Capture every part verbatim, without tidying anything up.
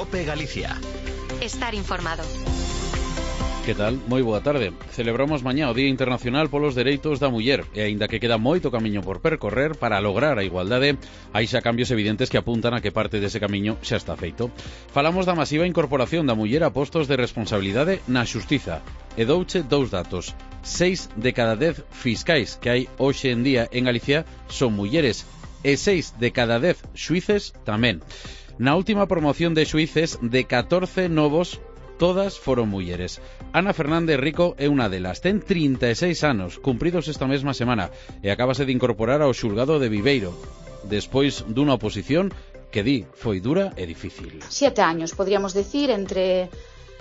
COPE Galicia. Estar informado. Que tal? Moi boa tarde. Celebramos mañá o Día Internacional polos Dereitos da Muller e aínda que queda moito camiño por percorrer para lograr a igualdade, hai xa cambios evidentes que apuntan a que parte dese camiño xa está feito. Falamos da masiva incorporación da muller a postos de responsabilidade na xustiza e douche dous datos. Seis de cada dez fiscais que hai hoxe en día en Galicia son mulleres e seis de cada dez xuíces tamén. Na última promoción de xuíces, de catorce novos, todas foron mulleres. Ana Fernández Rico é unha delas. Ten trinta e seis anos, cumpridos esta mesma semana, e acabase de incorporar ao xulgado de Viveiro, despois dunha oposición que di foi dura e difícil. Siete años, podríamos decir, entre...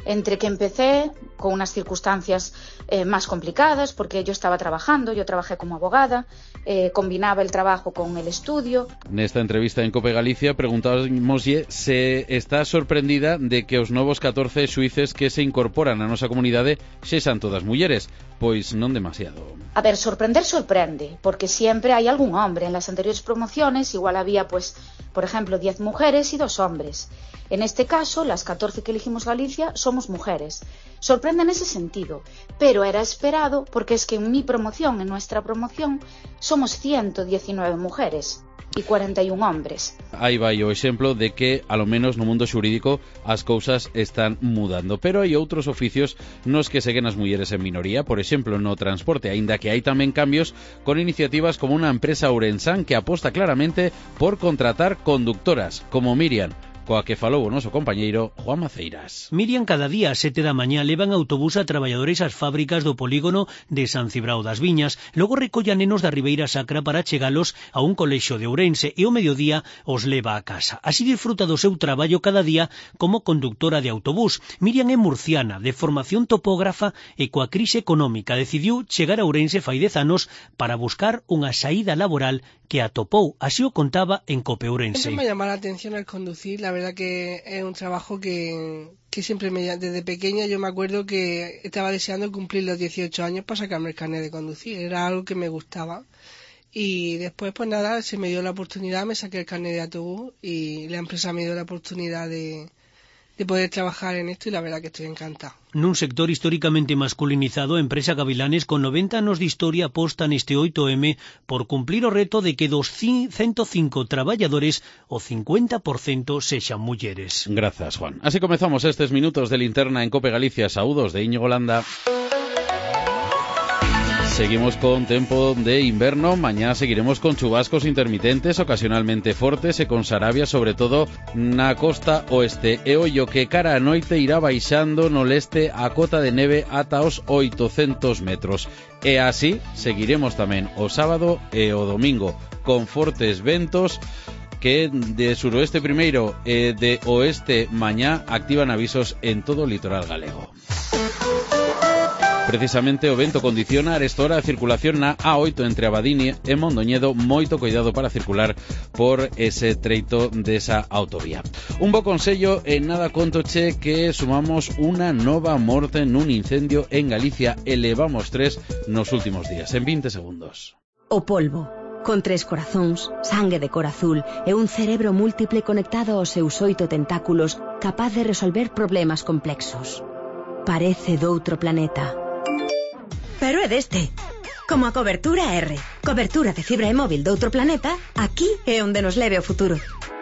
entre que empecé con unas circunstancias eh, más complicadas, porque yo estaba trabajando, yo trabajé como abogada, eh, combinaba el trabajo con el estudio. Nesta entrevista en COPE Galicia preguntámoslle se está sorprendida de que os novos catorce xuíces que se incorporan á nosa comunidade sexan todas mulleres, pois non demasiado. A ver, sorprender sorprende, porque siempre hay algún hombre. En las anteriores promociones igual había, pues, por ejemplo, diez mujeres y dos hombres. En este caso, las catorce que elegimos Galicia somos mujeres. Sorprende en ese sentido, pero era esperado porque es que en mi promoción, en nuestra promoción, somos ciento diecinueve mujeres e cuarenta e un hombres. Aí vai o exemplo de que, alo menos no mundo xurídico, as cousas están mudando. Pero hai outros oficios nos que seguen as mulleres en minoría, por exemplo, no transporte, aínda que hai tamén cambios con iniciativas como unha empresa ourensán que aposta claramente por contratar conductoras, como Miriam, coa que falou o noso compañeiro Juan Maceiras. Miriam cada día a sete da mañá levan autobús a traballadores ás fábricas do polígono de San Cibrao das Viñas, logo recolla nenos da Ribeira Sacra para chegalos a un colexio de Ourense e ao mediodía os leva a casa. Así disfruta do seu traballo cada día como conductora de autobús. Miriam é murciana, de formación topógrafa e coa crise económica decidiu chegar a Ourense fai dez anos para buscar unha saída laboral que atopou, así o contaba en COPE Ourense. Siempre me llama la atención al conducir, la verdad que es un trabajo que, que siempre me desde pequeña yo me acuerdo que estaba deseando cumplir los dieciocho años para sacarme el carnet de conducir, era algo que me gustaba. Y después, pues nada, se me dio la oportunidad, me saqué el carnet de autobús y la empresa me dio la oportunidad de, de poder trabajar en esto y la verdad que estoy encantada. Nun sector históricamente masculinizado, a empresa Gavilanes con noventa anos de historia aposta neste oito eme por cumplir o reto de que dos ciento cinco traballadores o cincuenta por cento sexan mulleres. Grazas, Juan. Así comezamos estes minutos de linterna en COPE Galicia. Saúdos de Íñigo Landa. Seguimos con tempo de inverno. Mañá seguiremos con chubascos intermitentes, ocasionalmente fortes e con sarabia, sobre todo na costa oeste. E ollo que cara a noite irá baixando no leste a cota de neve ata os oitocentos metros. E así seguiremos tamén o sábado e o domingo con fortes ventos que de suroeste primeiro e de oeste mañá activan avisos en todo o litoral galego. Precisamente o vento condiciona a esta hora a circulación na A oito entre Abadín e Mondoñedo. Moito cuidado para circular por ese treito desa autovía. Un bo consello e nada contoche que sumamos unha nova morte nun incendio en Galicia. Elevamos tres nos últimos días, en vinte segundos. O polvo, con tres corazóns, sangue de cor azul e un cerebro múltiple conectado aos seus oito tentáculos, capaz de resolver problemas complexos. Parece doutro planeta. Pero é deste. Como a cobertura R. Cobertura de fibra e móvil doutro planeta, aquí é onde nos leve o futuro.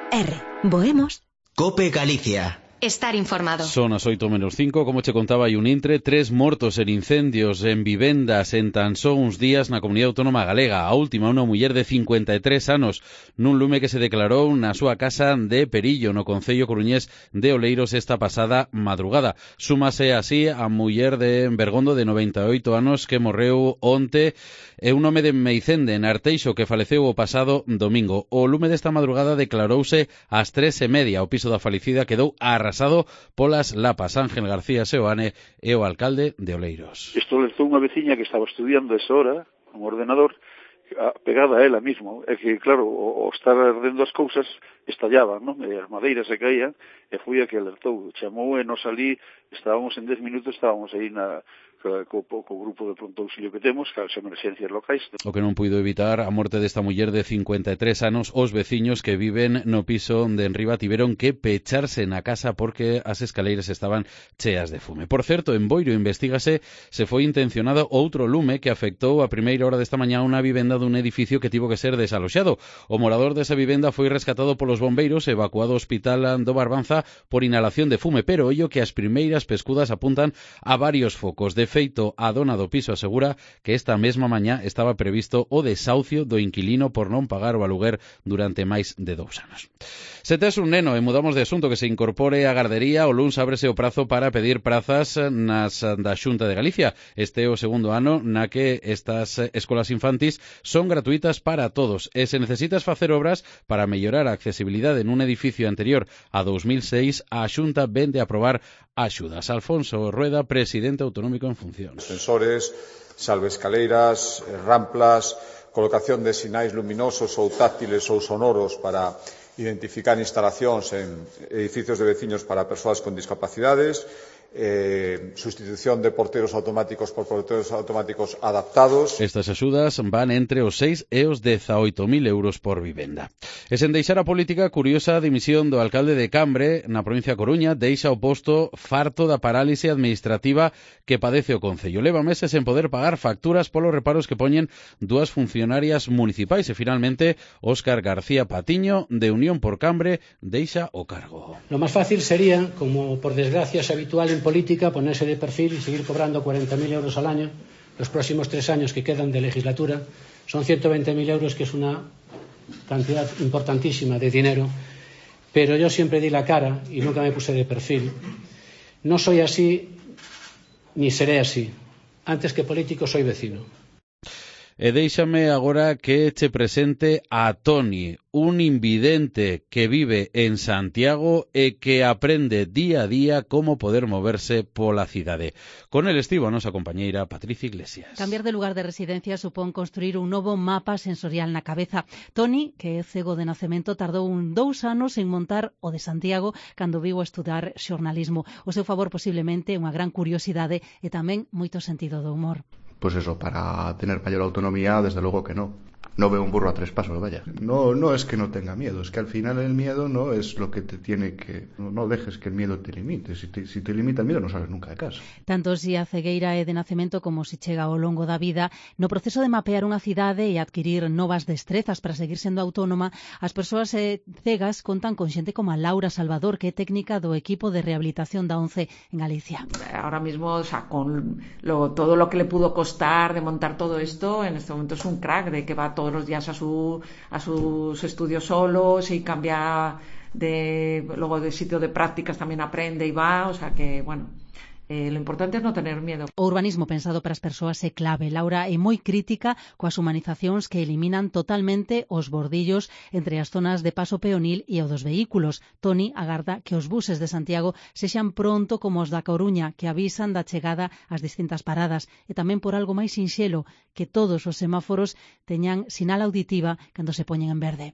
R. Voemos. COPE Galicia. Estar informado. Son as oito menos cinco, como che contaba hai un intre, tres mortos en incendios en vivendas en tan só uns días na comunidade autónoma galega. A última, unha muller de cincuenta e tres anos, nun lume que se declarou na súa casa de Perillo, no concello coruñés de Oleiros, esta pasada madrugada. Súmase así a muller de Bergondo de noventa e oito anos que morreu onte e un home de Meicende, en Arteixo, que faleceu o pasado domingo. O lume desta madrugada declarouse ás tres e media. O piso da falecida quedou arrasado polas lapas. Ángel García Seoane é o alcalde de Oleiros. Isto alertou unha veciña que estaba estudiando esa hora con ordenador pegada a ela mismo. É que, claro, o, o estar ardendo as cousas estallaban, non? E as madeiras se caían e foi a que alertou. Chamou e nos ali, estábamos en dez minutos, estábamos aí na, co, co, co grupo de pronto auxilio que temos, que as emerxencias locais. O que non puido evitar a morte desta muller de cincuenta e tres anos, os veciños que viven no piso de enriba tiveron que pecharse na casa porque as escaleiras estaban cheas de fume. Por certo, en Boiro investígase se foi intencionado outro lume que afectou a primeira hora desta mañá unha vivenda dun edificio que tivo que ser desaloxado. O morador desa vivenda foi rescatado polos bombeiros e evacuado ao hospital do Barbanza por inhalación de fume, pero ollo que as primeiras pescudas apuntan a varios focos. De feito, a dona do piso asegura que esta mesma mañá estaba previsto o desahucio do inquilino por non pagar o aluguer durante máis de dous anos. Se tes un neno e mudamos de asunto que se incorpore á gardería, o luns ábrese o prazo para pedir prazas nas da Xunta de Galicia. Este é o segundo ano na que estas escolas infantis son gratuitas para todos e se necesitas facer obras para mellorar a accesibilidade nun edificio anterior a dos mil seis, a Xunta vende a aprobar axudas. Alfonso Rueda, presidente autonómico en funcións. Sensores, salvescaleiras, ramplas, colocación de sinais luminosos ou táctiles ou sonoros para identificar instalacións en edificios de veciños para persoas con discapacidades, eh, sustitución de porteros automáticos por porteros automáticos adaptados. Estas axudas van entre os seis e os dezaoito mil euros por vivenda. E sen deixar a política, curiosa a dimisión do alcalde de Cambre, na provincia da Coruña, deixa o posto farto da parálise administrativa que padece o concello. Leva meses sen poder pagar facturas polos reparos que poñen dúas funcionarias municipais e finalmente Óscar García Patiño, de Unión por Cambre, deixa o cargo. Lo más fácil sería, como por desgracia es habitual en política, ponerse de perfil y seguir cobrando cuarenta mil euros al año los próximos tres años que quedan de legislatura. Son ciento veinte mil euros, que es una cantidad importantísima de dinero, pero yo siempre di la cara y nunca me puse de perfil. No soy así ni seré así. Antes que político soy vecino. E déixame agora que che presente a Toni, un invidente que vive en Santiago e que aprende día a día como poder moverse pola cidade. Con el estivo a nosa compañeira Patricia Iglesias. Cambiar de lugar de residencia supón construir un novo mapa sensorial na cabeza. Toni, que é cego de nacemento, tardou un dous anos en montar o de Santiago cando viu a estudar xornalismo. O seu favor posiblemente unha gran curiosidade e tamén moito sentido do humor. Pues eso, para tener mayor autonomía, desde luego que no. No veo un burro a tres pasos, vaya. No, no es que no tenga miedo, es que al final el miedo no es lo que te tiene que... No, no dejes que el miedo te limite. Si te, si te limita el miedo, no sales nunca de casa. Tanto si a cegueira é de nacemento como si chega ao longo da vida, no proceso de mapear unha cidade e adquirir novas destrezas para seguir sendo autónoma, as persoas cegas contan con xente como a Laura Salvador, que é técnica do equipo de rehabilitación da ONCE en Galicia. Ahora mismo, o sea, con lo, todo lo que le pudo costar de montar todo esto, en este momento es un crack, de que va todos los días a su a sus estudios solos y cambia de luego de sitio de prácticas, también aprende y va, o sea que bueno, Eh, lo importante é non tener miedo. O urbanismo pensado para as persoas é clave. Laura é moi crítica coas humanizacións que eliminan totalmente os bordillos entre as zonas de paso peonil e o dos vehículos. Toni agarda que os buses de Santiago sexan pronto como os da Coruña, que avisan da chegada ás distintas paradas, e tamén por algo máis sinxelo, que todos os semáforos teñan sinal auditiva cando se poñen en verde.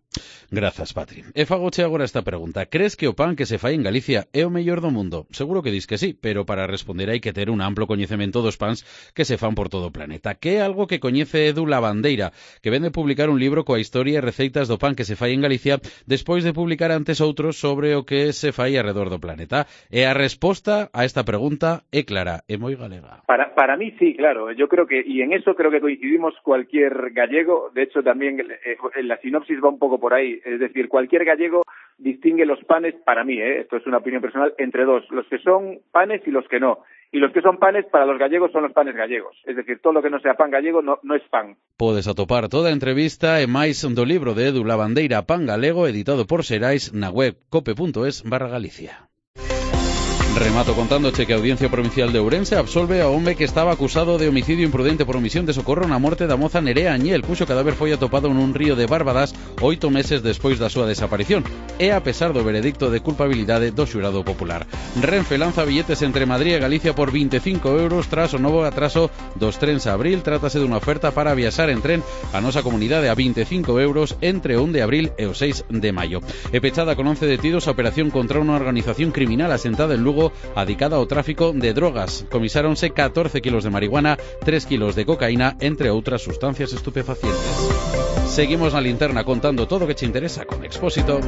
Grazas, Patri. E fagoche agora esta pregunta. Crees que o pan que se fai en Galicia é o mellor do mundo? Seguro que dis que sí, pero para responder hai que ter un amplo coñecemento dos pans que se fan por todo o planeta, que é algo que coñece Edu Lavandeira, que vende publicar un libro coa historia e receitas do pan que se fai en Galicia despois de publicar antes outros sobre o que se fai alrededor do planeta. E a resposta a esta pregunta é clara, é moi galega. Para, para mí sí, claro, yo creo que, y en eso creo que coincidimos cualquier gallego, de hecho también eh, la sinopsis va un poco por ahí, es decir, cualquier gallego distingue los panes, para mí, eh, esto es una opinión personal, entre dos, los que son panes y los que no. Y los que son panes, para los gallegos, son los panes gallegos. Es decir, todo lo que no sea pan gallego no, no es pan. Podes atopar toda a entrevista e máis do libro de Edu Lavandeira, Pan Galego, editado por Xerais, na web cope punto es barra Galicia. Remato contándoche que a Audiencia Provincial de Ourense absolve ao home que estaba acusado de homicidio imprudente por omisión de socorro na morte da moza Nerea Añel, cuxo cadáver foi atopado nun río de Barbadas oito meses despois da súa desaparición, e a pesar do veredicto de culpabilidade do xurado popular. Renfe lanza billetes entre Madrid e Galicia por vinte e cinco euros tras o novo atraso dos trens a abril. Trátase dunha oferta para viaxar en tren a nosa comunidade a vinte e cinco euros entre o un de abril e o seis de maio. E pechada con once detidos a operación contra unha organización criminal asentada en Lugo Vigo adicada ao tráfico de drogas. Comisáronse catorce kilos de marihuana, tres kilos de cocaína, entre outras sustancias estupefacientes. Seguimos na linterna contando todo o que che interesa con Expósito.